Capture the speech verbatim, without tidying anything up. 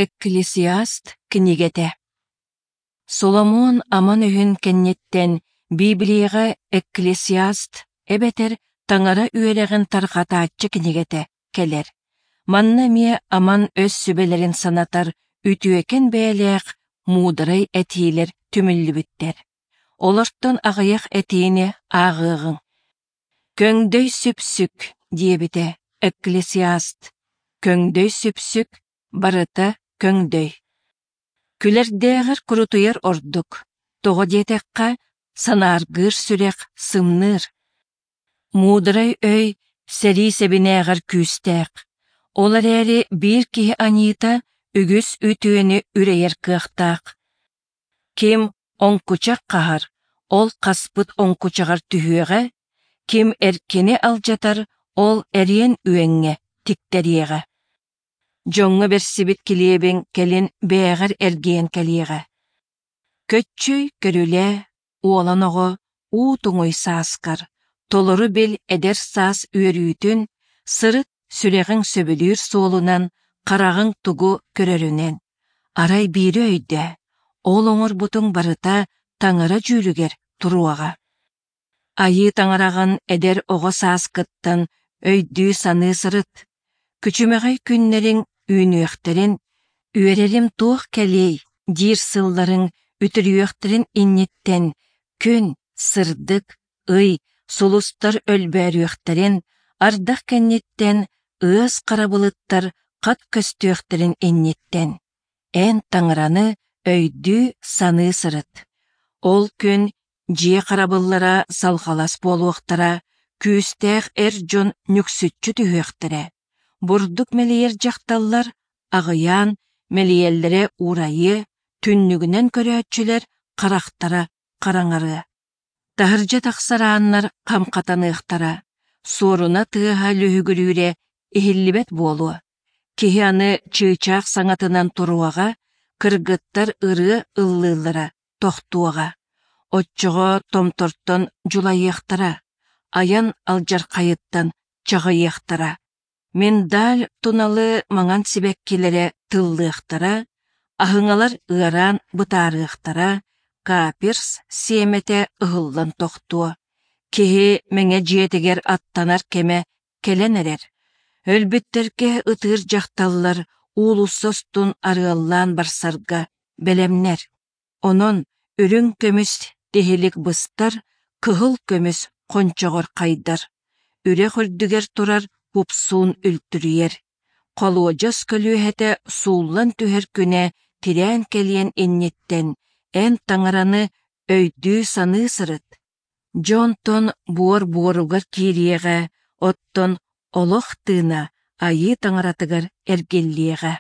Экклесиаст кинигэтэ Соломуон аман өһүн кэнниттэн Библияҕа Экклесиаст эбэтэр Таҥара үөрэҕин тарҕатааччы кинигэтэ кэлэр. Манна эмиэ аман өс сүбэлэрин санатар үтүөкэн бэйэлээх муударай этиилэр түмүллүбүттэр. Олортон аҕыйах этиини ааҕыаҕыҥ. «Көҥдөй сүпсүк» диэбитэ Экклесиаст. Көҥдөй сүпсүк барыта көҥдөй. Күлэрдээҕэр курутуйар ордук, тоҕо диэтэххэ, санааргыыр сүрэх сымныыр. Муударай өй сэрии сэбинээҕэр күүстээх. Ол эрээри биир киһи аньыыта үгүс үтүөнү үрэйэр кыахтаах. Ким оҥкучах хаһар, ол хаспыт оҥкучаҕар түһүөҕэ, ким эркини алдьатар, ол эриэн үөҥҥэ тиктэриэҕэ. Дьоҥҥо бэрсибит килиэбиҥ кэлин бэйэҕэр эргийэн кэлиэҕэ. Көччүй, көрүлээ, уолан оҕо, уу туҥуй сааскар, толору бил эдэр саас үөрүүтүн, сырыт сүрэҕиҥ сөбүлүүр суолунан, хараҕыҥ тугу көрөрүнэн. Арай биири өйдөө, ол оҥорбутуҥ барыта Таҥара дьүүлүгэр туруоҕа. Айыы Таҥараҕын эдэр оҕо сааскыттан өйдүү-саныы сырыт. Күчүмэҕэй күннэриҥ үүнүөхтэрин, үөрэрим туох кэлиэй диир сылларыҥ үтүрүйүөхтэрин инниттэн күн, сырдык, ый, сулустар өлбөөрүөхтэрин, ардах кэнниттэн ыас хара былыттар хат көстүөхтэрин инниттэн эн Таҥараны өйдүү-саныы сырыт. Ол күн дьиэ харабыллара салҕалас буолуохтара, күүстээх эр дьон нүксүччү түһүөхтэрэ. Бурдук мэлийэр дьахталлар аҕыйаан, мэлийэллэрэ уурайыа, түннүгүнэн көрөөччүлэр харахтара хараҥарыа. Таһырдьа тахсар ааннар хам хатаныахтара, суоруна тыаһа лүһүгүрүүрэ иһиллибэт буолуо. Киһи аны чыычаах саҥатынан туруоҕа, кыргыттар ырыа ыллыыллара тохтуоҕа. Оччоҕо томтортон дьулайыахтара, айан алдьархайыттан чаҕыйыахтара. Миндаль туналы маҥан сибэккилэрэ тыллыахтара, аһыҥалар ыараан бытаарыахтара, каперс сиэмэтэ ыһыллан тохтуо. Киһи мэҥэ дьиэтигэр аттанар кэмэ кэлэн эрэр. Өлбүттэргэ ытыыр дьахталлар уулусса устун арыаллаан барсарга бэлэмнэр. Онон үрүҥ көмүс тиһилик быстар, кыһыл көмүс хончоҕор хайдар. Үрэх үрдүгэр турар купсуун үлтүрүйэр. Холуодьас көлүөһэтэ сууллан түһэр күнэ тирээн кэлиэн инниттэн эн Таҥараны өйдүү-саныы сырыт. Дьэ онтон буор буоругар киириэҕэ, оттон олох тыына Айыы Таҥаратыгар эргиллиэҕэ.